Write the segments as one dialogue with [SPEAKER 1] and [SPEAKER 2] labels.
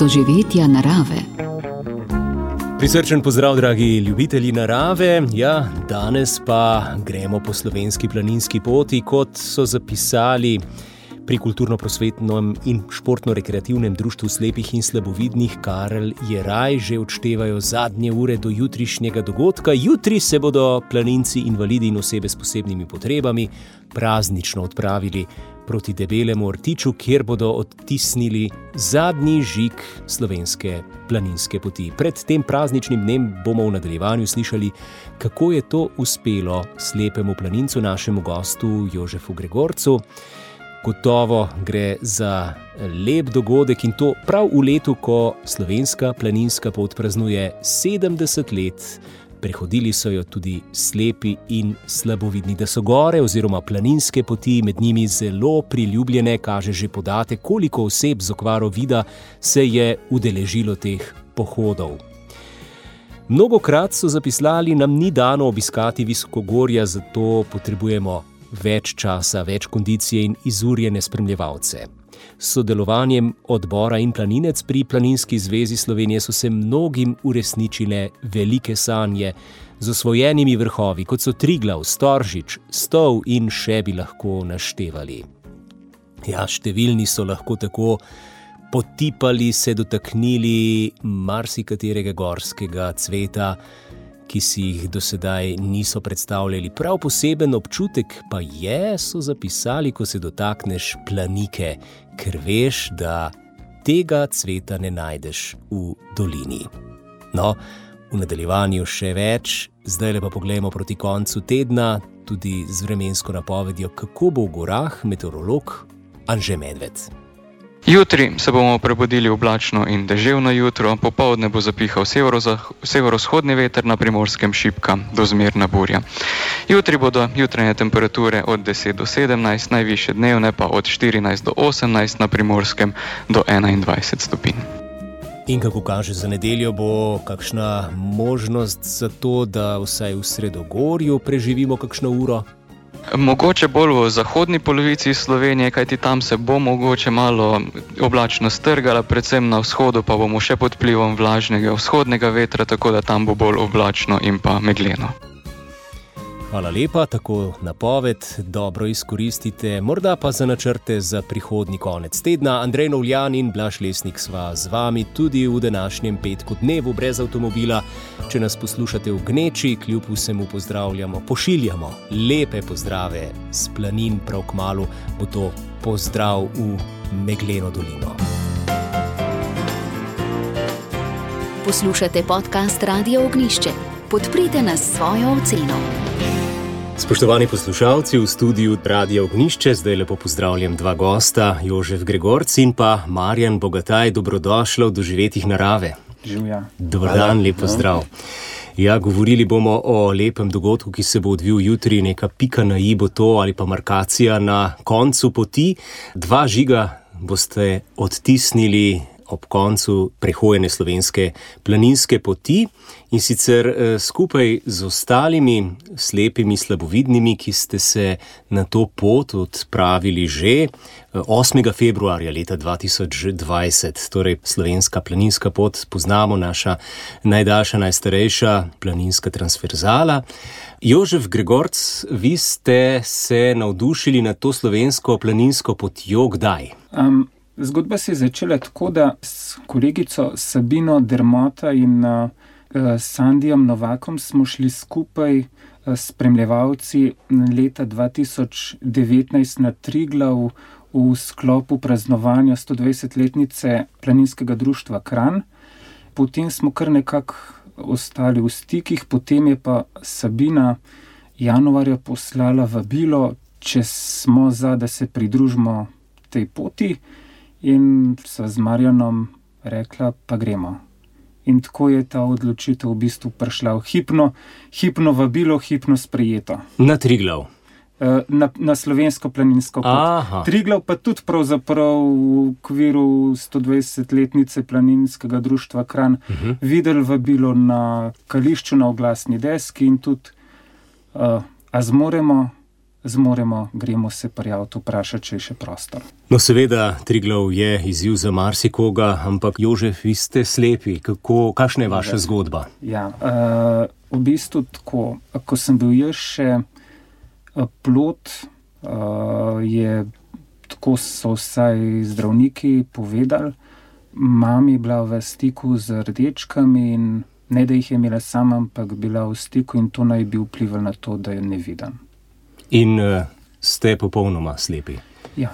[SPEAKER 1] doživetja narave.
[SPEAKER 2] Prisrčen pozdrav, dragi ljubitelji narave. Ja, danes pa gremo po slovenski planinski poti, kot so zapisali pri Kulturno-prosvetnem in športno-rekreativnem društvu slepih in slabovidnih Karel Jeraj. Že odštevajo zadnje ure do jutrišnjega dogodka. Jutri se bodo planinci, invalidi in osebe s posebnimi potrebami praznično odpravili proti Debelemu rtiču, kjer bodo odtisnili zadnji žig slovenske planinske poti. Pred tem prazničnim dnem bomo v nadaljevanju slišali, kako je to uspelo slepemu planincu, našemu gostu Jožefu Gregorcu. Gotovo gre za lep dogodek in to prav v letu, ko slovenska planinska pot praznuje 70 let. Prehodili so jo tudi slepi in slabovidni. Da so gore oziroma planinske poti med njimi zelo priljubljene, kaže že podatek, koliko oseb z okvaro vida se je udeležilo teh pohodov. Mnogokrat so zapisali, nam ni dano obiskati visokogorja, zato potrebujemo več časa, več kondicije in izurjene spremljevalce. S sodelovanjem odbora In planinec pri Planinski zvezi Slovenije so se mnogim uresničile velike sanje z osvojenimi vrhovi, kot so Triglav, Storžič, Stol in še bi lahko naštevali. Ja, številni so lahko tako potipali, se dotaknili marsikaterega gorskega cveta, ki si jih do sedaj niso predstavljali. Prav poseben občutek pa je, so zapisali, ko se dotakneš planike, ker veš, da tega cveta ne najdeš v dolini. No, v nadaljevanju še več, zdaj pa poglejmo proti koncu tedna, tudi z vremensko napovedjo, kako bo v gorah meteorolog Anže Medved.
[SPEAKER 3] Jutri se bomo prebudili oblačno in deževno jutro, popoldne bo zapihal severovzhodni veter, na Primorskem šibka do zmerna burja. Jutri bodo jutranje temperature od 10 do 17, najvišje dnevne pa od 14 do 18, na Primorskem do 21 stopinj.
[SPEAKER 2] In kako kaže za nedeljo, bo kakšna možnost za to, da vsaj v Sredogorju preživimo kakšno uro?
[SPEAKER 3] Mogoče bolj v zahodni polovici Slovenije, kajti tam se bo mogoče malo oblačno strgala, predvsem na vzhodu pa bomo še pod vplivom vlažnega vzhodnega vetra, tako da tam bo bolj oblačno in pa megleno.
[SPEAKER 2] Hvala lepa, tako napoved dobro izkoristite, morda pa za načrte za prihodnji konec tedna. Andrej Novljan in Blaž Lesnik sva z vami tudi v današnjem petku, dnevu brez avtomobila. Če nas poslušate v gneči, kljub vsemu pozdravljamo, pošiljamo lepe pozdrave s planin, prav kmalu bo to pozdrav v megleno dolino.
[SPEAKER 1] Poslušate podcast Radio Ognjišče. Podprite nas s svojo oceno.
[SPEAKER 2] Spoštovani poslušalci, v studiu Radia Ognjišče zdaj lepo pozdravljam dva gosta, Jožef Gregorc in pa Marjan Bogataj. Dobrodošla v doživetjih narave.
[SPEAKER 4] Živja.
[SPEAKER 2] Dobar dan, lep pozdrav. Ja, govorili bomo o lepem dogodku, ki se bo odvil jutri, neka pika na i bo to ali pa markacija na koncu poti. 2 žiga boste odtisnili ob koncu prehojene slovenske planinske poti in sicer skupaj z ostalimi slepimi slabovidnimi, ki ste se na to pot odpravili že 8. februarja leta 2020. Torej slovenska planinska pot, poznamo, naša najdaljša, najstarejša planinska transverzala. Jožef Gregorc, vi ste se navdušili nad to slovensko planinsko potjo kdaj?
[SPEAKER 4] Zgodba se je začela tako, da s kolegico Sabino Dermota in Sandijem Novakom smo šli skupaj spremljevalci leta 2019 na Triglav v sklopu praznovanja 120-letnice planinskega društva Kranj. Potem smo kar nekako ostali v stikih, potem je pa Sabina januarja poslala vabilo, če smo za, da se pridružimo tej poti. In sva z Marjanom rekla, pa gremo. In tako je ta odločitev v bistvu prišla v hipno vabilo, hipno sprejeto.
[SPEAKER 2] Na Triglav?
[SPEAKER 4] Na slovensko planinsko pot.
[SPEAKER 2] Aha.
[SPEAKER 4] Triglav pa tudi pravzaprav v okviru 120-letnice planinskega društva Kranj videli vabilo na kališču na oglasni deski in tudi a zmoremo zmoremo, gremo se prijaviti, vprašati, če je še prostor.
[SPEAKER 2] No, seveda, Triglav je izziv za marsikoga, ampak Jožef, vi ste slepi. Kakšna je vaša zgodba?
[SPEAKER 4] Ja, v bistvu tako, ko sem bil jaz še plod, tako so vsaj zdravniki povedali, mami bila v stiku z rdečkami in ne, da jih je imela sama, ampak bila v stiku in to naj bi vplivalo na to, da je neviden.
[SPEAKER 2] In ste popolnoma slepi?
[SPEAKER 4] Ja.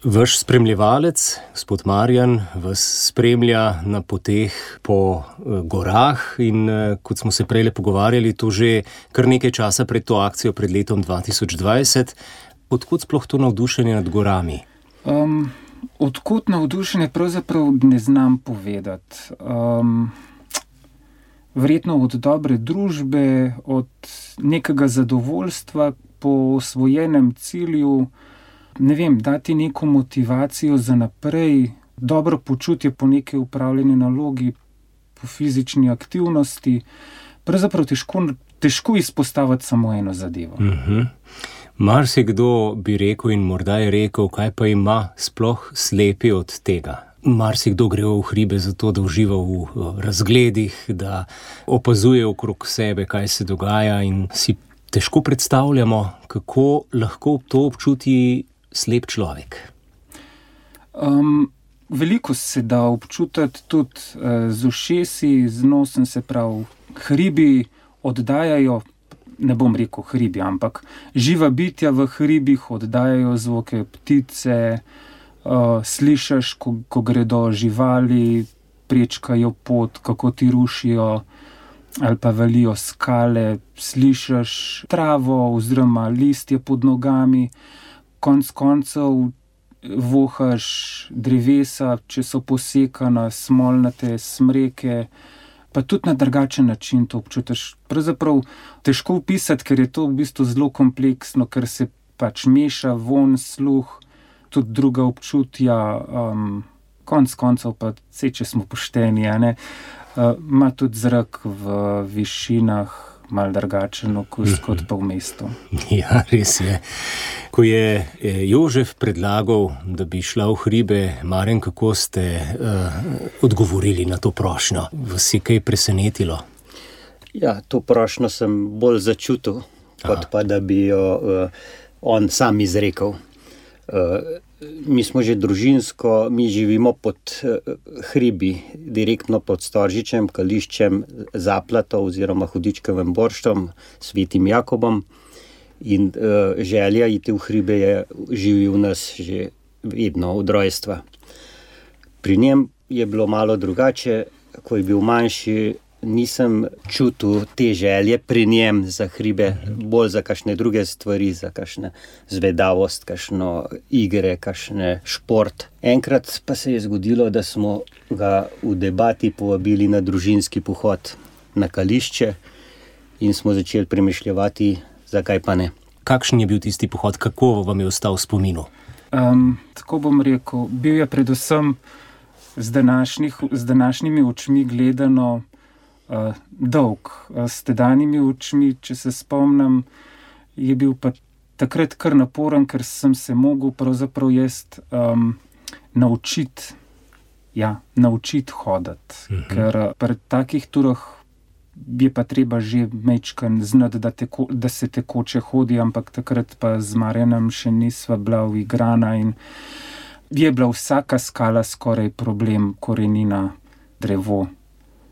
[SPEAKER 2] Vaš spremljevalec, gospod Marjan, vas spremlja na poteh po gorah in kot smo se prejle pogovarjali, to že kar nekaj časa pred to akcijo, pred letom 2020. Odkot sploh to navdušenje nad gorami?
[SPEAKER 4] Odkot navdušenje pravzaprav ne znam povedati. Verjetno od dobre družbe, od nekega zadovoljstva po osvojenem cilju, ne vem, dati neko motivacijo za naprej, dobro počutje po neki upravljeni nalogi, po fizični aktivnosti. Pravzaprav težko izpostaviti samo eno zadevo.
[SPEAKER 2] Marsikdo bi rekel in morda je rekel, kaj pa ima sploh slepi od tega. Marsikdo gre v hribe zato, da uživa v razgledih, da opazuje okrog sebe, kaj se dogaja in si težko predstavljamo, kako lahko to občuti slep človek.
[SPEAKER 4] Veliko se da občutiti tudi z ušesi, z nosom, se pravi, hribi oddajajo, ne bom rekel hribi, ampak živa bitja v hribih oddajajo zvoke ptice, slišiš, ko gredo živali, prečkajo pot, kako ti rušijo ali pa valijo skale, slišiš travo oziroma listje pod nogami, konec koncev vohaš drevesa, če so posekana, smolnate smreke, pa tudi na drugačen način to občutiš. Pravzaprav težko opisati, ker je to v bistvu zelo kompleksno, ker se pač meša von, sluh, tudi druga občutja, konec koncev pa če smo pošteni, ima tudi zrak v višinah malo drugačen okus kot pa v mestu.
[SPEAKER 2] Ja, res je. Ko je Jožef predlagal, da bi šla v hribe, Marjan, kako ste odgovorili na to prošnjo? Vas je kaj presenetilo?
[SPEAKER 5] Ja, to prošnjo sem bolj začutil, kot pa da bi jo on sam izrekel. Mi smo že družinsko, mi živimo pod hribi, direktno pod Storžičem, Kališčem, Zaplato oziroma Hudičkovim Borštom, Svetim Jakobom. In želja iti v hribe živi v nas že vedno od rojstva. Pri njem je bilo malo drugače, ko je bil manjši, nisem čutil te želje pri njem za hribe, bolj za kakšne druge stvari, za kakšne zvedavost, kakšno igre, kakšne šport. Enkrat pa se je zgodilo, da smo ga v debati povabili na družinski pohod na Kališče in smo začeli premišljevati, zakaj pa ne.
[SPEAKER 2] Kakšen je bil tisti pohod, kako vam je ostal v spominu?
[SPEAKER 4] Tako bom rekel, bil je predvsem z današnjimi očmi gledano dolg. S tedanjimi očmi, če se spomnim, je bil pa takrat kar naporen, ker sem se mogel pravzaprav naučiti hoditi. Ker pri takih turah je pa treba že majčkeno znati, da se tekoče hodi, ampak takrat pa z Marjanom še nisva bila uigrana in je bila vsaka skala skoraj problem, korenina, drevo.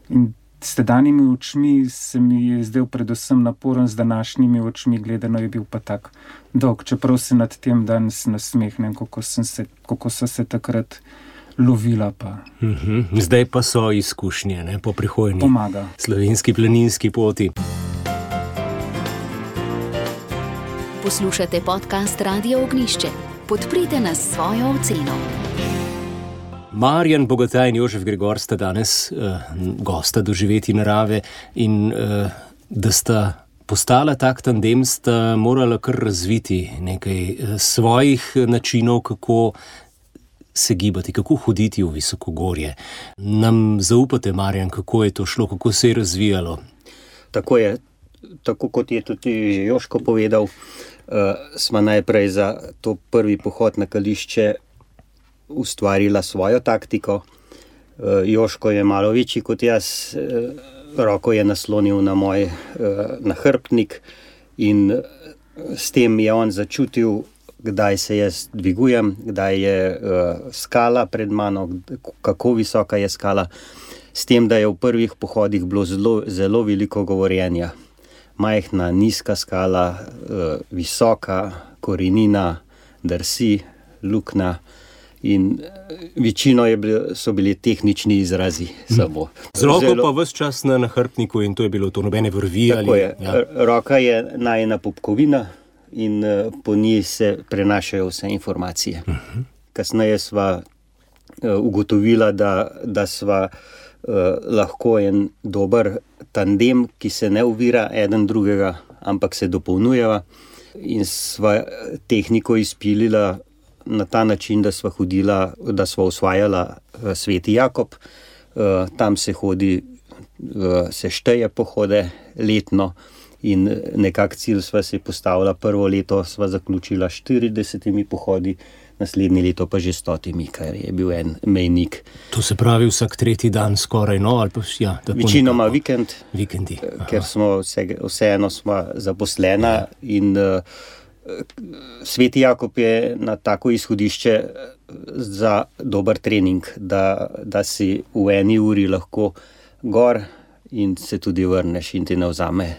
[SPEAKER 4] In s tedanjimi očmi se mi je zdel predvsem naporen, z današnjimi očmi gledano je bil pa tak dolg. Čeprav se nad tem danes nasmehnem, kako so se takrat lovila pa.
[SPEAKER 2] Zdaj pa so izkušnje, po prihodnji slovenski planinski poti.
[SPEAKER 1] Poslušate podcast Radio Ognjišče. Podprite nas s svojo oceno.
[SPEAKER 2] Marjan Bogataj in Jožef Gregor sta danes gosta Doživeti narave in da sta postala tak tandem, sta morala kar razviti nekaj svojih načinov, kako se gibati, kako hoditi v visokogorje. Nam zaupate, Marjan, kako je to šlo, kako se je razvijalo?
[SPEAKER 5] Tako je. tako kot je tudi že Joško povedal, smo najprej za to prvi pohod na Kališče ustvarila svojo taktiko. Joško je malo večji kot jaz, roko je naslonil na moj nahrbtnik in s tem je on začutil, kdaj se jaz dvigujem, kdaj je skala pred mano, kako visoka je skala. S tem, da je v prvih pohodih bilo zelo veliko govorjenja. Majhna, nizka skala, visoka, korenina, drsi, luknja. In večino so bili tehnični izrazi samo.
[SPEAKER 2] Z roko pa ves čas na nahrbtniku in to je bilo to nobene vrvi.
[SPEAKER 5] Tako je. Ja. Roka je najina popkovina in po njej se prenašajo vse informacije. Kasneje sva ugotovila, da sva lahko en dober tandem, ki se ne ovira eden drugega, ampak se dopolnjujeva, in sva tehniko izpilila na ta način, da sva hodila, da sva osvajala Sveti Jakob. Tam se hodi, se šteje pohode letno in nekak cilj sva si postavila. Prvo leto sva zaključila 40 pohodi, naslednje leto pa že 100, kar je bil en mejnik.
[SPEAKER 2] To se pravi vsak tretji dan skoraj, no? Ali pa, ja,
[SPEAKER 5] večinoma vikend,
[SPEAKER 2] vikendi.
[SPEAKER 5] Ker smo vseeno smo zaposlena in Sveti Jakob je na tako izhodišče za dober trening, da si v eni uri lahko gor in se tudi vrneš in ti ne vzame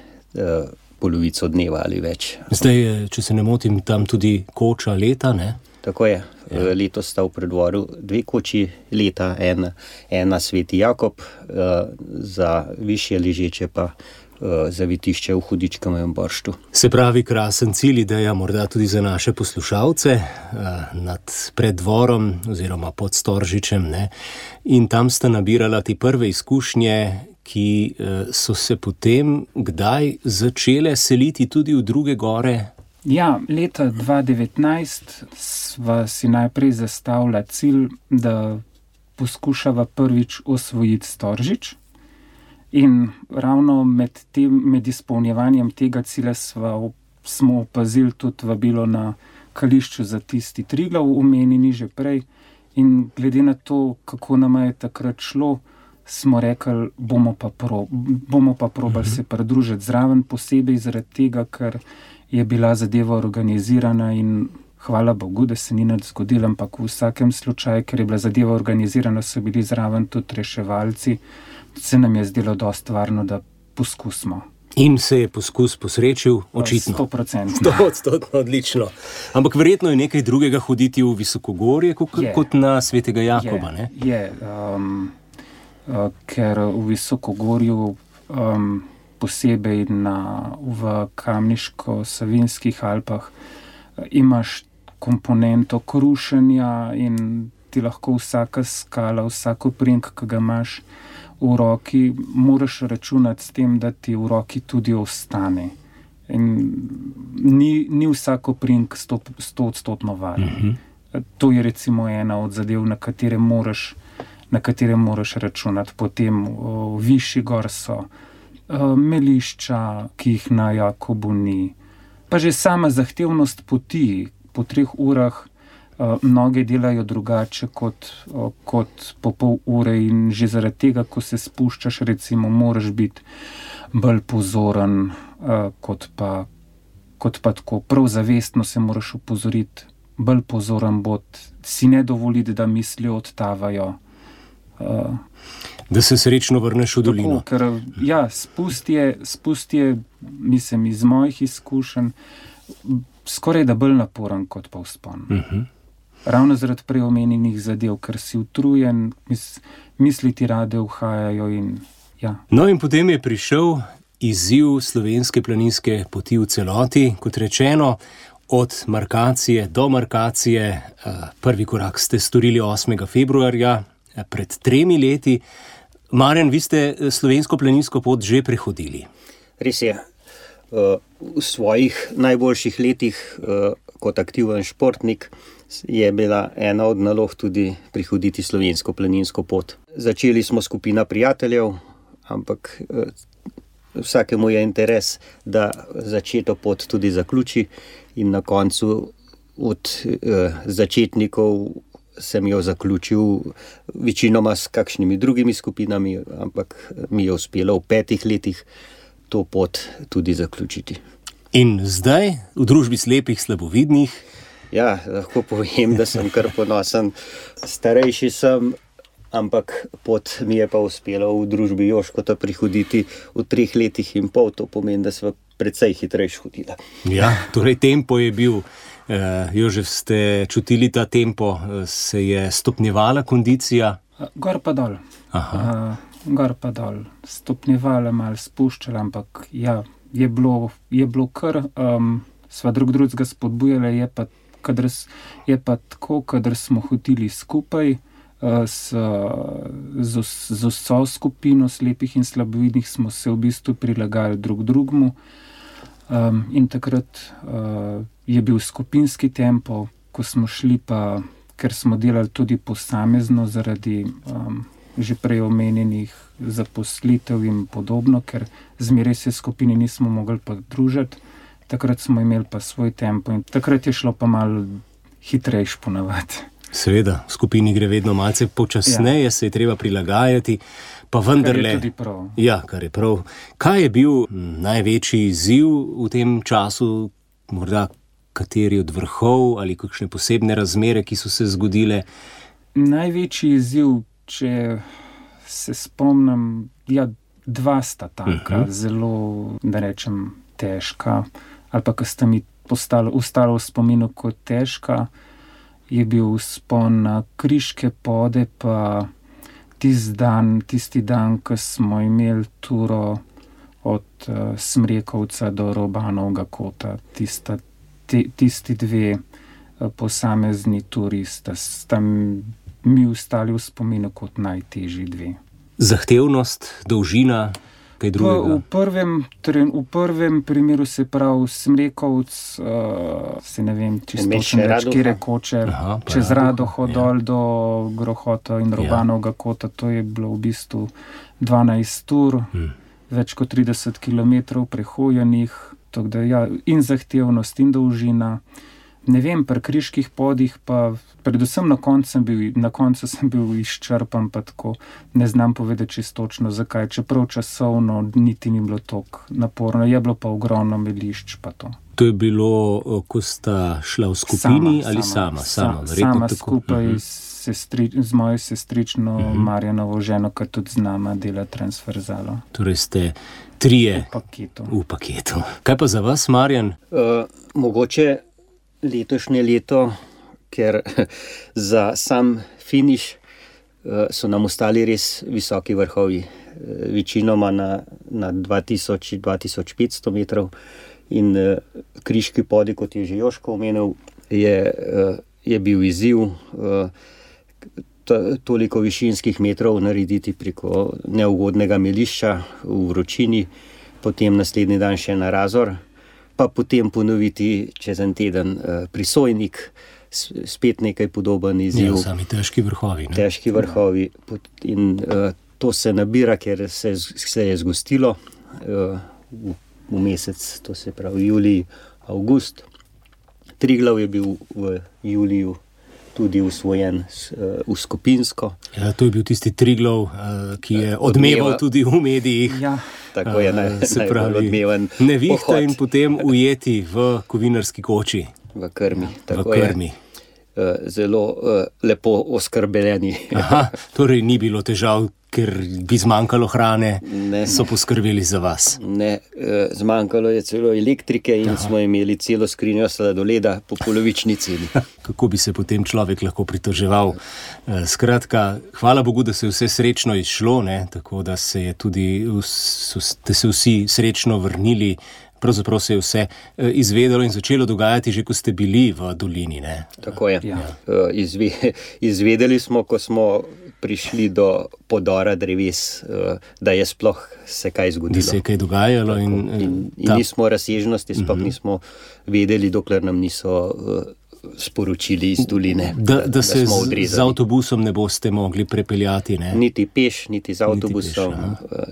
[SPEAKER 5] polovico dneva ali več.
[SPEAKER 2] Zdaj, če se ne motim, tam tudi koča leta, ne?
[SPEAKER 5] Tako je. Ja. Letos sta v predvoru 2 koči leta, ena Sveti Jakob, za višje ležeče pa zavitišče v Hudičkovem Borštu.
[SPEAKER 2] Se pravi, krasen cilj, ideja morda tudi za naše poslušalce nad Preddvorom oziroma pod Storžičem, ne? In tam sta nabirala te prve izkušnje, ki so se potem kdaj začele seliti tudi v druge gore?
[SPEAKER 4] Ja, leta 2019 sva si najprej zastavila cilj, da poskušava prvič osvojiti Storžič. In ravno med izpolnjevanjem tega cilja smo opazili tudi vabilo na Kališču za tisti Triglav, omenjeni že prej. In glede na to, kako nam je takrat šlo, smo rekli, bomo pa probali se pridružiti zraven, posebej zaradi tega, ker je bila zadeva organizirana in hvala Bogu, da se ni nič zgodilo, ampak v vsakem slučaju, ker je bila zadeva organizirana, so bili zraven tudi reševalci. Se nam je zdelo dosti varno, da poskusimo.
[SPEAKER 2] In se je poskus posrečil, očitno.
[SPEAKER 4] 100%.
[SPEAKER 2] 100%, odlično. Ampak verjetno je nekaj drugega hoditi v Visokogorje, kot na Svetega Jakoba, ne?
[SPEAKER 4] Je, ker v Visokogorju, posebej v Kamniško-Savinjskih Alpah, imaš komponento krušenja in ti lahko vsaka skala, vsako prink, ki ga imaš v roki, moraš računati s tem, da ti v roki tudi ostane. In ni vsako prink 100% varen. To je recimo ena od zadev, na katere moraš računati. Potem višji gor so melišča, ki jih na Jakobu ni. Pa že sama zahtevnost poti, po 3 urah mnoge delajo drugače kot po pol ure in že zaradi tega, ko se spuščaš, recimo, moraš biti bolj pozoren, kot pa tako. Prav zavestno se moraš opozoriti, bolj pozoren bod, si ne dovoliti, da misli odtavajo.
[SPEAKER 2] Da se srečno vrneš v dolino.
[SPEAKER 4] Tako, ker ja, spust je, mislim, iz mojih izkušenj, skoraj da bolj naporen kot pa vzpon. Ravno zaradi preomenjenih zadev, ker si utrujen, misli ti rade uhajajo in ja.
[SPEAKER 2] No in potem je prišel izziv slovenske planinske poti v celoti, kot rečeno, od markacije do markacije. Prvi korak ste storili 8. februarja, pred 3 leti. Marjan, vi ste slovensko planinsko pot že prehodili.
[SPEAKER 5] Res je. V svojih najboljših letih kot aktiven športnik je bila ena od nalog tudi prehoditi slovensko planinsko pot. Začeli smo skupina prijateljev, ampak vsakemu je interes, da začeto pot tudi zaključi in na koncu od začetnikov sem jo zaključil večinoma s kakšnimi drugimi skupinami, ampak mi je uspelo v 5 letih to pot tudi zaključiti.
[SPEAKER 2] In zdaj v družbi slepih slabovidnih?
[SPEAKER 5] Ja, lahko povem, da sem kar ponosen. Starejši sem, ampak pot mi je pa uspelo v družbi Jožkota prihoditi v 3 letih in pol, to pomeni, da sva precej hitrejš hodila.
[SPEAKER 2] Ja, torej tempo je bil. Jožef, ste čutili ta tempo, se je stopnjevala kondicija?
[SPEAKER 4] Gor pa dol. Gor pa dol. Stopnjevala, malo spuščala, ampak ja, je bilo kar, sva drugega spodbujala, je pa tako, kadar smo hodili skupaj z vso skupino slepih in slabovidnih, smo se v bistvu prilagajali drug drugemu. In takrat je bil skupinski tempo, ko smo šli pa, ker smo delali tudi posamezno zaradi že prej omenjenih zaposlitev in podobno, ker zmeraj se skupini nismo mogli pa družiti, takrat smo imeli pa svoj tempo in takrat je šlo pa malo hitrejš ponavadi.
[SPEAKER 2] Seveda, v skupini gre vedno malce počasneje, se je treba prilagajati, pa vendarle...
[SPEAKER 4] Kar je tudi prav.
[SPEAKER 2] Ja, kar je prav. Kaj je bil največji izziv v tem času, morda kateri od vrhov ali kakšne posebne razmere, ki so se zgodile?
[SPEAKER 4] Največji izziv, če se spomnim, ja, 2 sta taka, zelo, da rečem, težka, ali pa, ko sta mi ostalo v spominu kot težka, je bil vzpon na Kriške pode, pa tisti dan, ko smo imeli turo od Smrekovca do Robanovega kota, tisti 2 posamezni turisti sta mi ostali v spominu kot najtežji 2.
[SPEAKER 2] Zahtevnost, dolžina, kaj drugega?
[SPEAKER 4] V prvem primeru, se pravi Smrekovc, se ne vem, čisto kire koče, čez Radoho dol do Grohota in Robanovega kota, to je bilo v bistvu 12 ur, več kot 30 km prehojenih, in zahtevnost in dolžina. Ne vem, pri Kriških podih pa predvsem na koncu sem bil izčrpan, pa tako ne znam povedati čisto točno zakaj, čeprav časovno niti ni bilo toliko naporno, je bilo pa ogromno melišč pa to.
[SPEAKER 2] To je bilo, ko sta šla v skupini ali sama?
[SPEAKER 4] Sama skupaj z mojo sestrično Marjanovo ženo, ki tudi z nama dela transverzalo.
[SPEAKER 2] Torej ste 3 v paketu. Kaj pa za vas, Marjan?
[SPEAKER 5] Mogoče letošnje leto, ker za sam finiš so nam ostali res visoki vrhovi, večinoma na 2000-2500 metrov in Kriški podi, kot je že Jožko omenil, je bil izziv toliko višinskih metrov narediti preko neugodnega melišča v vročini, potem naslednji dan še na Razor, pa potem ponoviti čez en teden Prisojnik, spet nekaj podoben izziv.
[SPEAKER 2] Ja, sami težki vrhovi.
[SPEAKER 5] Težki vrhovi. In to se nabira, ker se je zgostilo v mesec, to se pravi julij, avgust. Triglav je bil v juliju tudi usvojen v skupinsko.
[SPEAKER 2] Ja, to je bil tisti Triglav, ki je odmeval tudi v medijih.
[SPEAKER 5] Ja. Tako je najbolj odmeven
[SPEAKER 2] nevihta
[SPEAKER 5] pohod.
[SPEAKER 2] In potem ujeti v kovinarski koči.
[SPEAKER 5] V krmi.
[SPEAKER 2] V krmi.
[SPEAKER 5] Zelo lepo oskrbljeni.
[SPEAKER 2] Torej ni bilo težav, ker bi zmanjkalo hrane, so poskrbeli za vas.
[SPEAKER 5] Ne, zmanjkalo je celo elektrike in smo imeli celo skrinjo sladoleda po polovični ceni.
[SPEAKER 2] Kako bi se potem človek lahko pritoževal? Skratka, hvala Bogu, da se je vse srečno izšlo, tako da ste se vsi srečno vrnili. Pravzaprav se je vse izvedelo in začelo dogajati že, ko ste bili v dolini.
[SPEAKER 5] Tako je. Ja. Izvedeli smo, ko smo prišli do podora dreves, da je sploh se kaj zgodilo.
[SPEAKER 2] Da se je kaj dogajalo.
[SPEAKER 5] In nismo razsežnosti, sploh nismo vedeli, dokler nam niso sporočili iz doline,
[SPEAKER 2] da se
[SPEAKER 5] smo odrezali.
[SPEAKER 2] Z avtobusom ne boste mogli prepeljati, ne?
[SPEAKER 5] Niti peš, niti z avtobusom,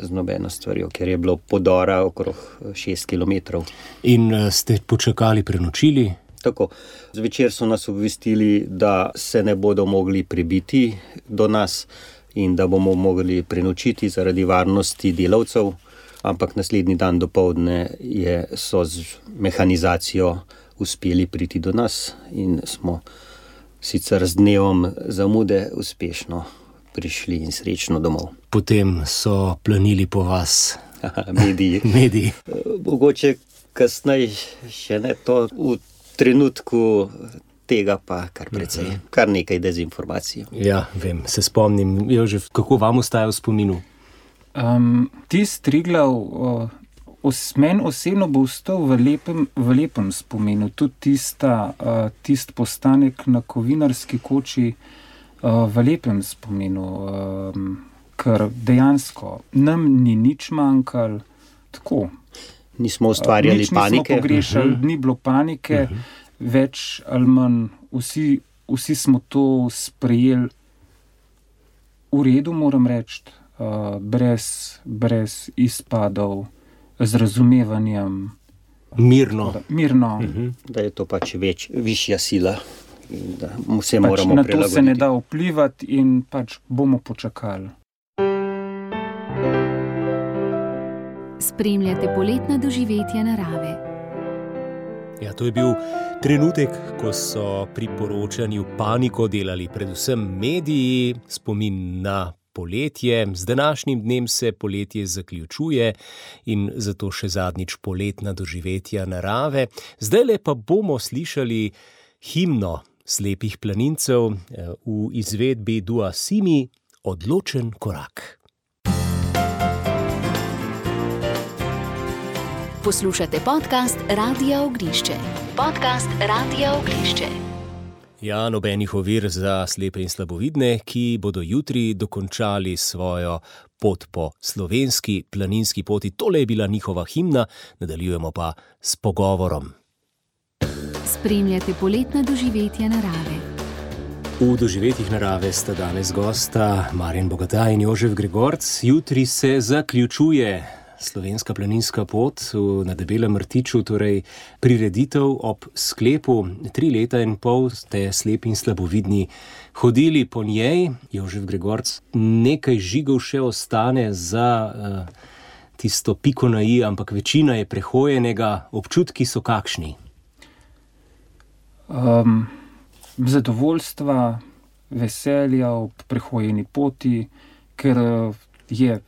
[SPEAKER 5] z nobeno stvarjo, ker je bilo podora okrog 6 km.
[SPEAKER 2] In ste počakali, prenočili?
[SPEAKER 5] Tako. Zvečer so nas obvestili, da se ne bodo mogli prebiti do nas in da bomo mogli prenočiti zaradi varnosti delavcev, ampak naslednji dan dopoldne so z mehanizacijo uspeli priti do nas in smo sicer z dnevom zamude uspešno prišli in srečno domov.
[SPEAKER 2] Potem so planili po vas.
[SPEAKER 5] Mediji. Mogoče kasneje še ne to, v trenutku tega pa kar precej, kar nekaj dezinformacij.
[SPEAKER 2] Ja, vem, se spomnim. Jožef, kako vam ostaja v spominu?
[SPEAKER 4] Tisti Triglav, meni osebno bo ostal v lepem spominu. Tudi tisti postanek na Kovinarski koči v lepem spominu, ker dejansko nam ni nič manjkalo, tako.
[SPEAKER 5] Nismo ustvarjali panike.
[SPEAKER 4] Nič nismo pogrešali, ni bilo panike, več ali manj, vsi smo to sprejeli v redu, moram reči, brez izpadov, z razumevanjem.
[SPEAKER 2] Mirno.
[SPEAKER 5] Da je to pač višja sila in da vse moramo prilagoditi.
[SPEAKER 4] Na to se ne da vplivati in pač bomo počakali.
[SPEAKER 1] Spremljate poletna doživetja narave.
[SPEAKER 2] Ja, to je bil trenutek, ko so pri poročanju paniko delali predvsem mediji, spomin na poletje. Z današnjim dnem se poletje zaključuje in zato še zadnjič poletna doživetja narave. Zdajle pa bomo slišali himno slepih planincev v izvedbi Dua Simi, Odločen korak.
[SPEAKER 1] Poslušate podcast Radia Ognjišče. Podcast Radia Ognjišče.
[SPEAKER 2] Ja, nobenih ovir za slepe in slabovidne, ki bodo jutri dokončali svojo pot po slovenski planinski poti. Tole je bila njihova himna, nadaljujemo pa s pogovorom.
[SPEAKER 1] Spremljate poletna doživetja narave.
[SPEAKER 2] V doživetjih narave sta danes gosta Marjan Bogataj in Jožef Gregorc. Jutri se zaključuje slovenska planinska pot na Debelem rtiču, torej prireditev ob sklepu. 3,5 leta ste slepi in slabovidni hodili po njej. Jožef Gregorc, nekaj žigov še ostane za tisto piko na i, ampak večina je prehojenega. Občutki so kakšni?
[SPEAKER 4] Zadovoljstva, veselja ob prehojeni poti, ker je,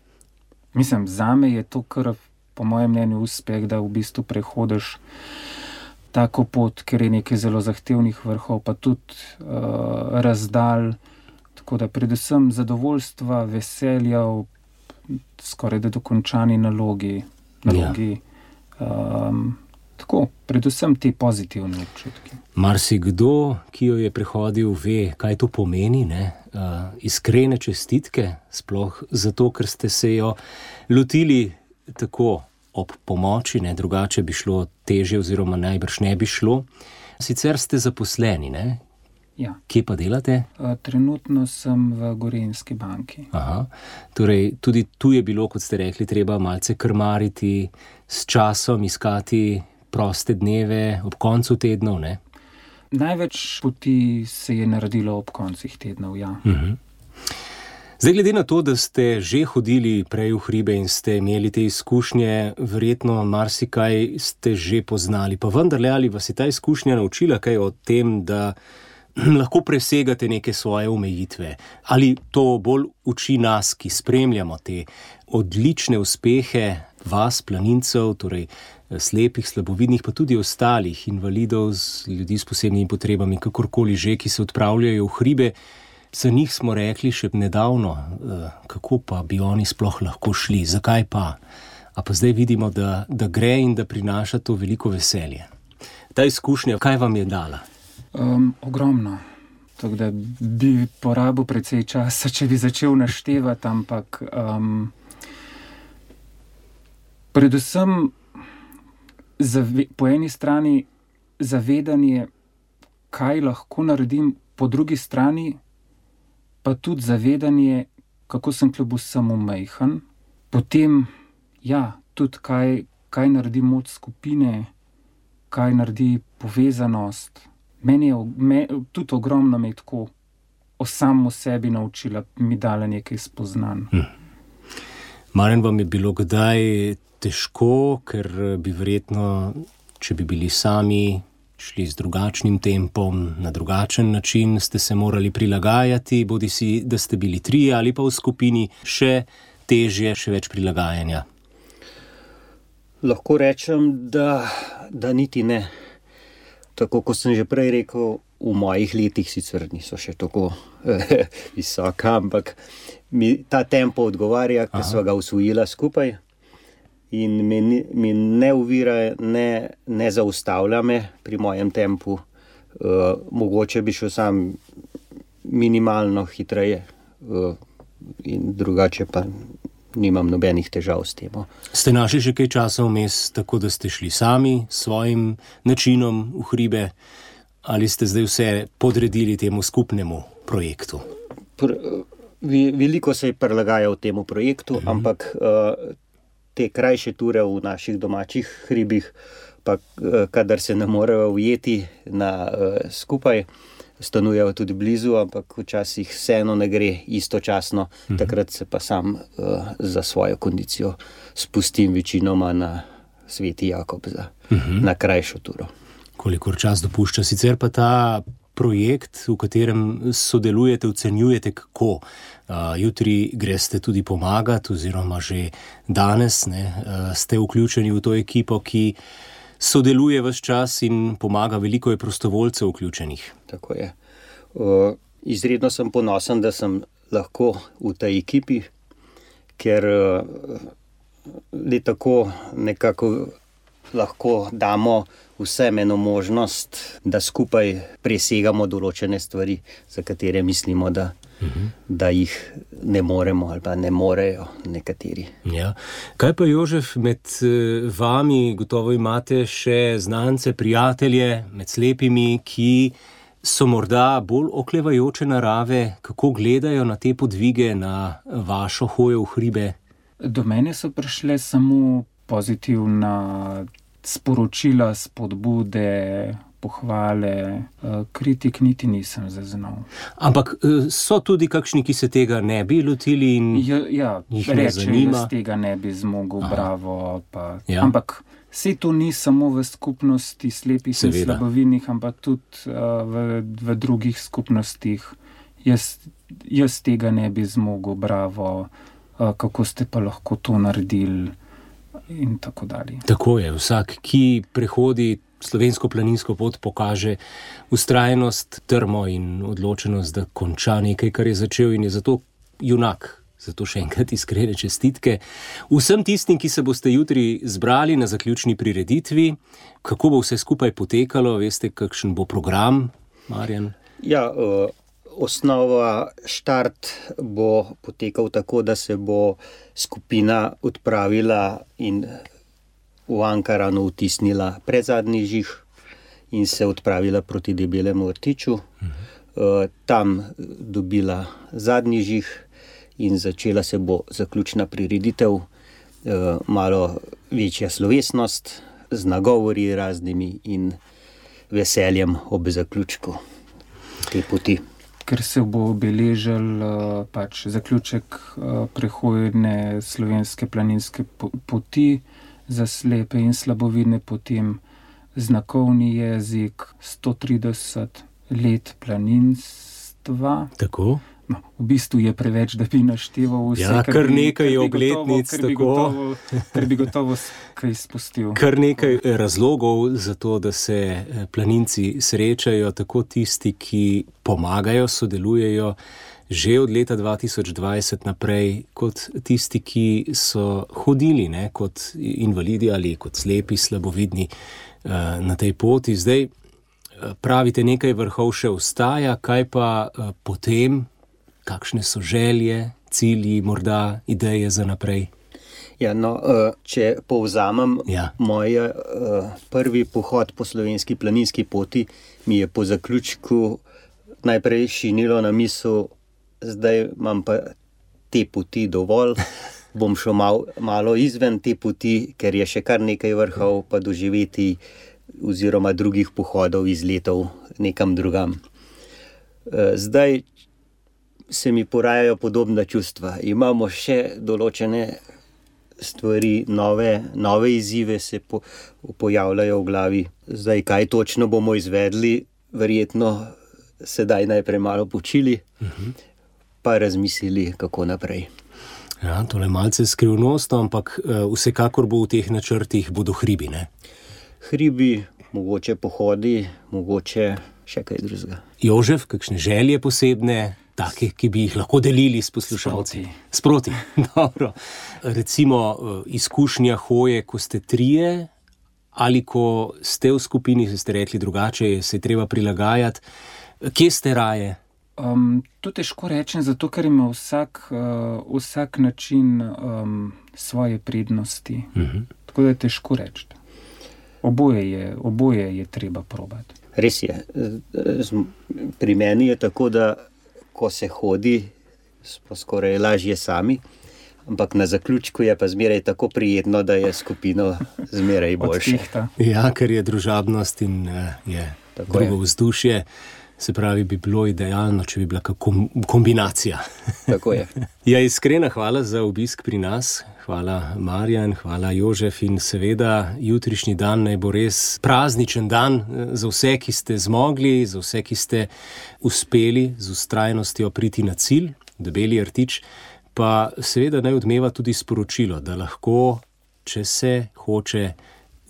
[SPEAKER 4] mislim, zame je to kar po mojem mnenju uspeh, da v bistvu prehodiš tako pot, ker je nekaj zelo zahtevnih vrhov, pa tudi razdalj, tako da predvsem zadovoljstva, veselja ob skoraj da dokončani nalogi. Tako, predvsem te pozitivne občutki.
[SPEAKER 2] Marsikdo, ki jo je prehodil, ve, kaj to pomeni, ne? Iskrene čestitke, sploh zato, ker ste se jo lotili tako ob pomoči, ne? Drugače bi šlo težje oziroma najbrž ne bi šlo. Sicer ste zaposleni, ne?
[SPEAKER 4] Ja.
[SPEAKER 2] Kje pa delate?
[SPEAKER 4] Trenutno sem v Gorenjski banki.
[SPEAKER 2] Aha. Torej, tudi tu je bilo, kot ste rekli, treba malce krmariti, s časom iskati proste dneve ob koncu tednov, ne?
[SPEAKER 4] Največ poti se je naredilo ob koncih tednov, ja.
[SPEAKER 2] Zdaj, glede na to, da ste že hodili prej v hribe in ste imeli te izkušnje, verjetno marsikaj ste že poznali, pa vendarle, ali vas je ta izkušnja naučila kaj o tem, da lahko presegate neke svoje omejitve? Ali to bolj uči nas, ki spremljamo te odlične uspehe vas, planincev, torej slepih, slabovidnih, pa tudi ostalih invalidov, ljudi s posebnimi potrebami, kakorkoli že, ki se odpravljajo v hribe? Za njih smo rekli še nedavno, kako pa bi oni sploh lahko šli, zakaj pa? A pa zdaj vidimo, da gre in da prinaša to veliko veselje. Ta izkušnja, kaj vam je dala?
[SPEAKER 4] Ogromno. Tako da bi porabil precej časa, če bi začel naštevati, ampak predvsem po eni strani zavedanje, kaj lahko naredim, po drugi strani pa tudi zavedanje, kako sem kljub vsemu majhen. Potem, tudi kaj naredi moč skupine, kaj naredi povezanost. Meni je tudi ogromno me tako o samem sebi naučila, mi dala nekaj spoznanj.
[SPEAKER 2] Marjan, vam je bilo kdaj težko, ker bi verjetno, če bi bili sami, šli z drugačnim tempom, na drugačen način, ste se morali prilagajati, bodisi da ste bili 3 ali pa v skupini, še težje, še več prilagajanja?
[SPEAKER 5] Lahko rečem, da niti ne. Tako kot sem že prej rekel, v mojih letih sicer niso še tako visoka, ampak mi ta tempo odgovarja, ker sva ga usvojila skupaj in mi ne ovira, ne zaustavlja me pri mojem tempu. Mogoče bi šel sam minimalno hitreje in drugače pa nimam nobenih težav s tem.
[SPEAKER 2] Ste našli že kaj časa vmes, tako da ste šli sami s svojim načinom v hribe, ali ste zdaj vse podredili temu skupnemu projektu?
[SPEAKER 5] Veliko se je prilagajal temu projektu, ampak te krajše ture v naših domačih hribih, pa kadar se ne morejo ujeti skupaj, stanujejo tudi blizu, ampak včasih vseeno ne gre istočasno, takrat se pa sam za svojo kondicijo spustim večinoma na Sveti Jakob na krajšo turo.
[SPEAKER 2] Kolikor čas dopušča, sicer pa ta projekt, v katerem sodelujete, ocenjujete kako? Jutri greste tudi pomagati, oziroma že danes ste vključeni v to ekipo, ki sodeluje ves čas in pomaga, veliko je prostovoljcev vključenih.
[SPEAKER 5] Tako je. Izredno sem ponosen, da sem lahko v tej ekipi, ker le tako nekako lahko damo vsem eno možnost, da skupaj presegamo določene stvari, za katere mislimo, da jih ne moremo ali pa ne morejo nekateri.
[SPEAKER 2] Ja. Kaj pa, Jožef, med vami gotovo imate še znance, prijatelje, med slepimi, ki so morda bolj oklevajoče narave, kako gledajo na te podvige, na vašo hojo v hribe?
[SPEAKER 4] Do mene so prišle samo pozitivna sporočila, spodbude, pohvale, kritik niti nisem zaznal.
[SPEAKER 2] Ampak so tudi kakšni, ki se tega ne bi lotili in jih ne zanima?
[SPEAKER 4] Jaz tega ne bi zmogel, bravo. Ampak saj to ni samo v skupnosti slepih in slabovidnih, ampak tudi v drugih skupnostih. Jaz tega ne bi zmogel, bravo, kako ste pa lahko to naredili in tako dalje.
[SPEAKER 2] Tako je, vsak, ki prehodi slovensko planinsko pot, pokaže vztrajnost, trmo in odločenost, da konča nekaj, kar je začel, in je zato junak. Zato še enkrat iskrene čestitke vsem tistim, ki se boste jutri zbrali na zaključni prireditvi. Kako bo vse skupaj potekalo? Veste, kakšen bo program, Marjan?
[SPEAKER 5] Ja, osnova štart bo potekal tako, da se bo skupina odpravila in v Ankaranu vtisnila predzadnji žig in se odpravila proti Debelemu rtiču. Tam dobila zadnji žig in začela se bo zaključna prireditev, malo večja slovesnost z nagovori raznimi in veseljem ob zaključku te poti.
[SPEAKER 4] Ker se bo obeležil zaključek prehodne slovenske planinske poti za slepe in slabovidne, potem znakovni jezik, 130 let planinstva.
[SPEAKER 2] Tako?
[SPEAKER 4] No, v bistvu je preveč, da bi našteval vse.
[SPEAKER 2] Ja, kar nekaj obletnic,
[SPEAKER 4] ker bi gotovo kaj spustil.
[SPEAKER 2] Kar nekaj razlogov za to, da se planinci srečajo, tako tisti, ki pomagajo, sodelujejo že od leta 2020 naprej, kot tisti, ki so hodili kot invalidi ali kot slepi, slabovidni na tej poti. Zdaj pravite, nekaj vrhov še ostaja, kaj pa potem? Kakšne so želje, cilji, morda ideje za naprej?
[SPEAKER 5] Ja, no, če povzamem, moj prvi pohod po slovenski planinski poti mi je po zaključku najprej šinilo na misel, zdaj imam pa te poti dovolj, bom šel malo izven te poti, ker je še kar nekaj vrhov pa doživeti oziroma drugih pohodov izletov nekam drugam. Zdaj se mi porajajo podobna čustva. Imamo še določene stvari, nove izzive se pojavljajo v glavi. Zdaj, kaj točno bomo izvedli, verjetno sedaj najprej malo počili, pa razmislili, kako naprej.
[SPEAKER 2] Ja, tole malce skrivnostno, ampak vsekakor bo v teh načrtih bodo hribi, ne?
[SPEAKER 5] Hribi, mogoče pohodi, mogoče še kaj drugega.
[SPEAKER 2] Jožef, kakšne želje posebne, take, ki bi jih lahko delili s poslušalci? Sproti. Dobro. Recimo izkušnja hoje, ko ste trije, ali ko ste v skupini, ste rekli drugače, se je treba prilagajati. Kje ste raje?
[SPEAKER 4] To težko rečem, zato ker ima vsak način svoje prednosti. Tako da je težko reči. Oboje je treba probati.
[SPEAKER 5] Res je. Pri meni je tako, da ko se hodi, smo skoraj lažje sami, ampak na zaključku je pa zmeraj tako prijetno, da je skupino zmeraj boljše.
[SPEAKER 2] Ja, ker je družabnost in je tako drugo vzdušje. Se pravi, bi bilo idealno, če bi bila kombinacija.
[SPEAKER 5] Tako je.
[SPEAKER 2] Ja, iskrena hvala za obisk pri nas. Hvala Marjan, hvala Jožef in seveda jutrišnji dan naj bo res prazničen dan za vse, ki ste zmogli, za vse, ki ste uspeli z vztrajnostjo priti na cilj, Debeli rtič, pa seveda naj odmeva tudi sporočilo, da lahko, če se hoče,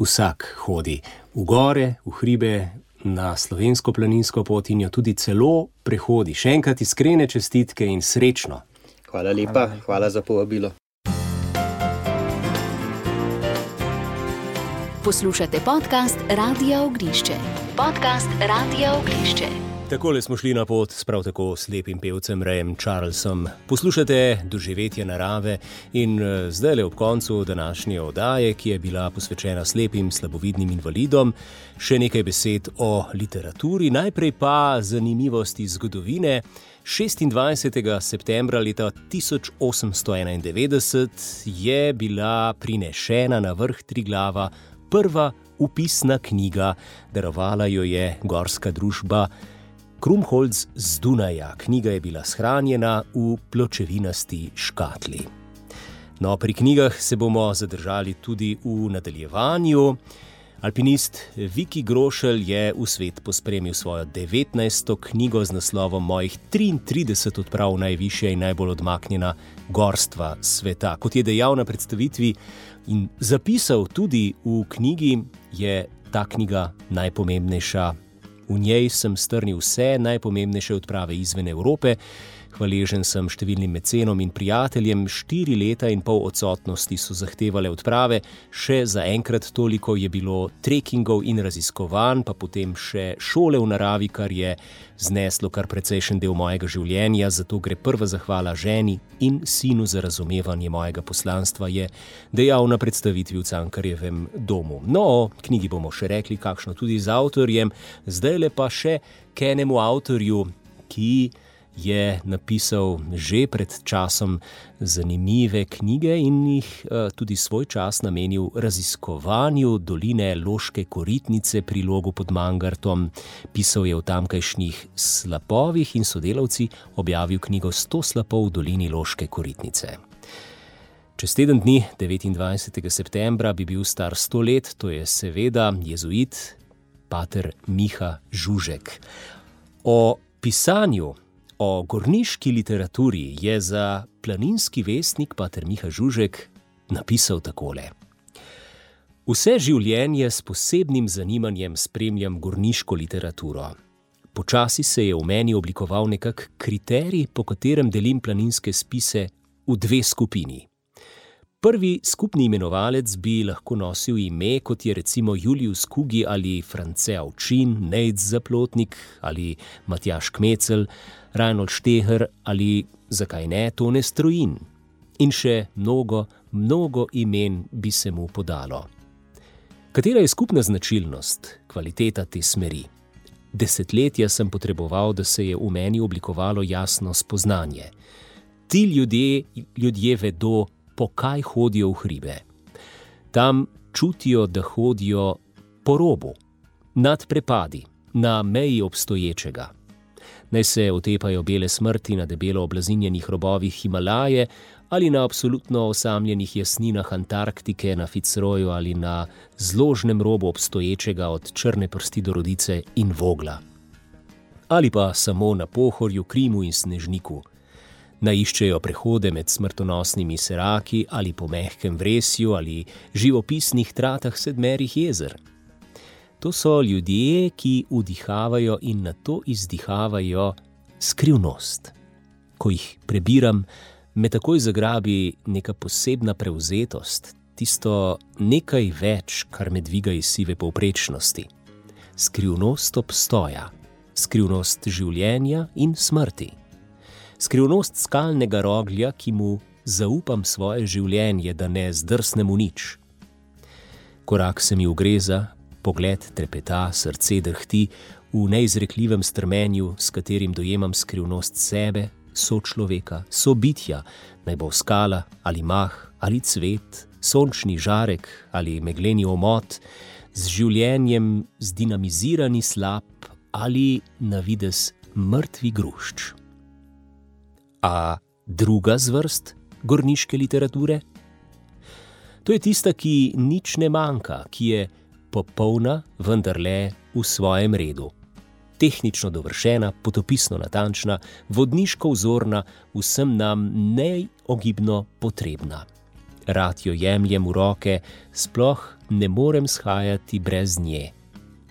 [SPEAKER 2] vsak hodi v gore, v hribe, na slovensko planinsko pot in jo tudi celo prehodi. Še enkrat iskrene čestitke in srečno.
[SPEAKER 5] Hvala lepa, hvala za povabilo.
[SPEAKER 1] Poslušate podcast Radia Ognjišče. Podcast Radia Ognjišče.
[SPEAKER 2] Takole smo šli na pot s prav tako slepim pevcem Rayem Charlesom. Poslušate Doživetja narave in zdajle ob koncu današnje oddaje, ki je bila posvečena slepim slabovidnim invalidom, še nekaj besed o literaturi, najprej pa zanimivosti zgodovine. 26. septembra leta 1891 je bila prinešena na vrh Triglava prva upisna knjiga, darovala jo je gorska družba Krumholz z Dunaja. Knjiga je bila shranjena v pločevinasti škatli. No, pri knjigah se bomo zadržali tudi v nadaljevanju. Alpinist Viki Grošelj je v svet pospremil svojo 19. knjigo z naslovom Mojih 33 odprav najvišja in najbolj odmaknjena gorstva sveta. Kot je dejal na predstavitvi in zapisal tudi v knjigi, je ta knjiga najpomembnejša. V njej sem strnil vse najpomembnejše odprave izven Evrope. Hvaležen sem številnim mecenom in prijateljem. 4 leta in pol odsotnosti so zahtevale odprave. Še za enkrat toliko je bilo trekingov in raziskovanj, pa potem še šole v naravi, kar je zneslo kar precejšen del mojega življenja. Zato gre prva zahvala ženi in sinu za razumevanje mojega poslanstva, je dejal na predstavitvi v Cankarjevem domu. No, o knjigi bomo še rekli, kakšno tudi z avtorjem. Zdajle pa še k enemu avtorju, ki je napisal že pred časom zanimive knjige in jih tudi svoj čas namenil raziskovanju doline Loške Koritnice pri Logu pod Mangartom. Pisal je o tamkajšnjih slapovih in sodelavci objavil knjigo 100 slapov v dolini Loške Koritnice. Čez teden dni, 29. septembra, bi bil star 100 let, to je seveda jezuit pater Miha Žužek. O pisanju, o gorniški literaturi je za Planinski vestnik pater Miha Žužek napisal takole. Vse življenje s posebnim zanimanjem spremljam gorniško literaturo. Počasi se je v meni oblikoval nekak kriterij, po katerem delim planinske spise v 2 skupini. Prvi skupni imenovalec bi lahko nosil ime, kot je recimo Julius Kugi ali France Avčin, Nejc Zaplotnik ali Matjaž Kmecel, Reinhold Šteher ali, zakaj ne, Tone Strojin. In še mnogo imen bi se mu podalo. Katera je skupna značilnost, kvaliteta te smeri? Desetletja sem potreboval, da se je v meni oblikovalo jasno spoznanje. Ti ljudje vedo, po kaj hodijo v hribe. Tam čutijo, da hodijo po robu, nad prepadi, na meji obstoječega. Naj se otepajo bele smrti na debelo oblazinjenih robovih Himalaje ali na absolutno osamljenih jasninah Antarktike na Fitzroyu ali na zložnem robu obstoječega od Črne prsti do Rodice in Vogla. Ali pa samo na Pohorju, Krimu in Snežniku. Naiščejo prehode med smrtonosnimi seraki ali po mehkem vresju ali živopisnih tratah sedmerih jezer. To so ljudje, ki vdihavajo in nato izdihavajo skrivnost. Ko jih prebiram, me takoj zagrabi neka posebna prevzetost, tisto nekaj več, kar me dviga iz sive povprečnosti. Skrivnost obstoja, skrivnost življenja in smrti. Skrivnost skalnega roglja, ki mu zaupam svoje življenje, da ne zdrsnem v nič. Korak se mi ugreza, pogled trepeta, srce drhti v neizrekljivem strmenju, s katerim dojemam skrivnost sebe, sočloveka, sobitja, naj bo skala ali mah ali cvet, sončni žarek ali megleni omot, z življenjem zdinamizirani slap ali na videz mrtvi grušč. A druga zvrst gorniške literature? To je tista, ki nič ne manjka, ki je popolna, vendar le v svojem redu. Tehnično dovršena, potopisno natančna, vodniško vzorna, vsem nam neogibno potrebna. Rad jo jemljem v roke, sploh ne morem shajati brez nje.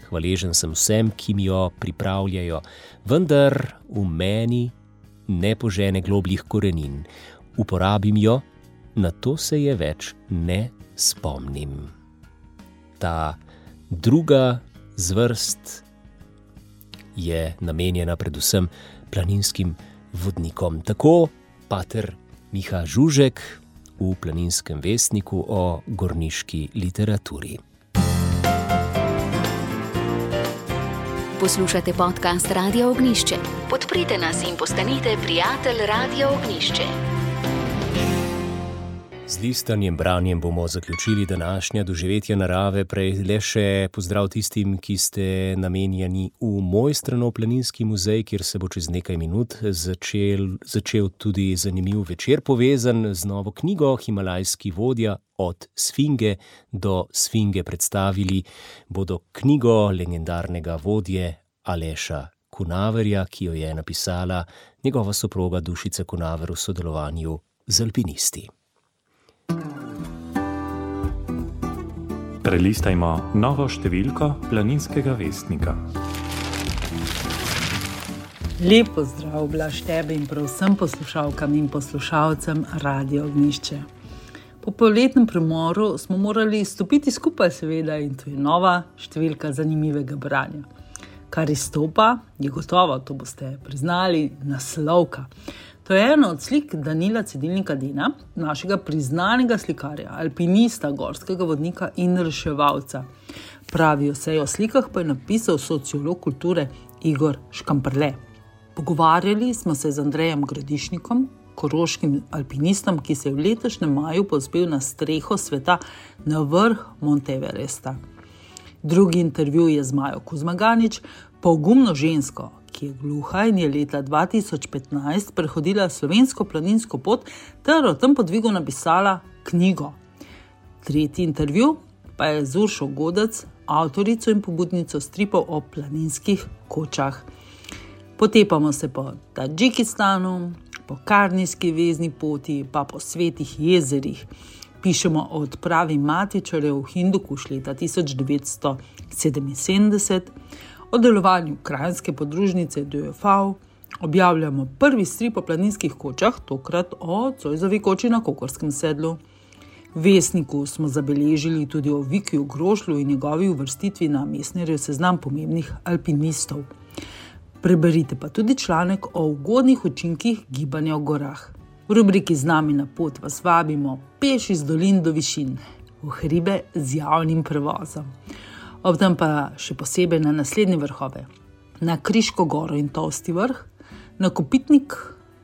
[SPEAKER 2] Hvaležen sem vsem, ki mi jo pripravljajo, vendar v meni ne požene globljih korenin. Uporabim jo, na to se je več ne spomnim. Ta druga zvrst je namenjena predvsem planinskim vodnikom. Tako pater Miha Žužek v Planinskem vestniku o gorniški literaturi.
[SPEAKER 1] Poslušate podcast Radia Ognjišče. Podprite nas in postanite prijatelj Radia Ognjišče.
[SPEAKER 2] Z listanjem, branjem bomo zaključili današnja doživetja narave, prej le še pozdrav tistim, ki ste namenjeni v Mojstranov planinski muzej, kjer se bo čez nekaj minut začel tudi zanimiv večer, povezan z novo knjigo Himalajski vodja od Sfinge do Sfinge. Predstavili bodo knjigo legendarnega vodje Aleša Kunaverja, ki jo je napisala njegova soproga Dušica Kunaver v sodelovanju z alpinisti.
[SPEAKER 6] Prelistajmo novo številko Planinskega vestnika.
[SPEAKER 7] Lep pozdrav, Blaž, tebe in prav vsem poslušalkam in poslušalcem Radia Ognjišče. Po poletnem premoru smo morali stopiti skupaj, seveda, in to je nova številka zanimivega branja. Kar izstopa, je gotovo, to boste priznali, naslovka. To je ena od slik Danila Cedilnika Dena, našega priznanega slikarja, alpinista, gorskega vodnika in reševalca. Pravijo se o slikah pa je napisal sociolog kulture Igor Škamperle. Pogovarjali smo se z Andrejem Gradišnikom, koroškim alpinistom, ki se je v letošnjem maju povzpel na streho sveta na vrh Monte Everesta. Drugi intervju je z Majo Kuzmaganič, pogumno žensko, ki je gluha in je leta 2015 prehodila slovensko planinsko pot ter o tem podvigu napisala knjigo. Tretji intervju pa je z Uršo Godec, avtorico in pobudnico stripov o planinskih kočah. Potepamo se po Tadžikistanu, po Karnijski vezni poti, pa po svetih jezerih. Pišemo o odpravi matičarjev v Hindukuš leta 1977, o delovanju krajinske podružnice DFV, objavljamo prvi strip o planinskih kočah, tokrat o Zoisovi koči na Kokorskem sedlu. V Vestniku smo zabeležili tudi o Vikiju Grošlju in njegovi uvrstitvi na Mestnerjev seznam pomembnih alpinistov. Preberite pa tudi članek o ugodnih učinkih gibanja v gorah. V rubriki Z nami na pot vas vabimo peš iz dolin do višin, v hribe z javnim prevozom. Ob tem pa še posebej na naslednje vrhove, na Kriško goro in Tosti vrh, na Kopitnik,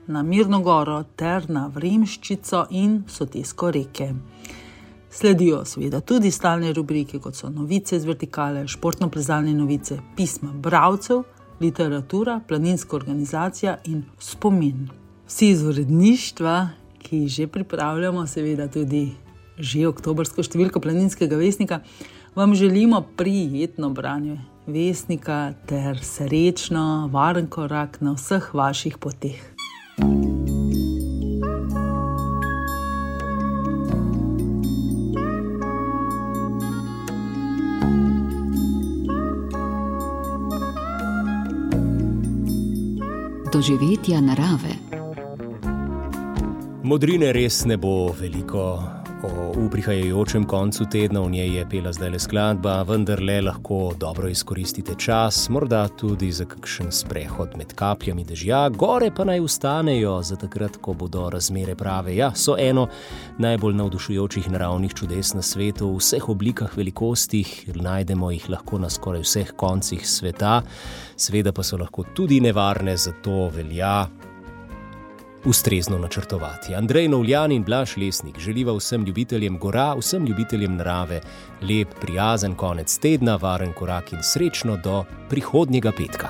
[SPEAKER 7] na Mirno goro ter na Vremščico in Sotesko reke. Sledijo seveda tudi stalne rubrike, kot so novice z vertikale, športno-plezalne novice, pisma bralcev, literatura, planinska organizacija in spomin. Vsi iz uredništva, ki že pripravljamo seveda tudi že oktobrsko številko Planinskega vestnika, vam želimo prijetno branje Vestnika ter srečno, varen korak na vseh vaših poteh.
[SPEAKER 1] Doživetja narave.
[SPEAKER 2] Modrine res ne bo veliko. V prihajajočem koncu tedna v njej je pela zdajle skladba, vendarle lahko dobro izkoristite čas, morda tudi za kakšen sprehod med kapljami dežja, gore pa naj ustanejo za takrat, ko bodo razmere prave. Ja, so eno najbolj navdušujočih naravnih čudes na svetu, v vseh oblikah, velikostih, najdemo jih lahko na skoraj vseh koncih sveta, seveda pa so lahko tudi nevarne, zato velja ustrezno načrtovati. Andrej Novljan in Blaž Lesnik želiva vsem ljubiteljem gora, vsem ljubiteljem narave lep, prijazen konec tedna, varen korak in srečno do prihodnjega petka.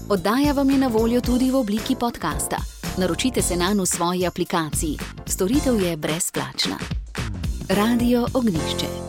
[SPEAKER 1] Oddaja vam je na voljo tudi v obliki podcasta. Naročite se nanj v svoji aplikaciji. Storitev je brezplačna. Radio Ognjišče.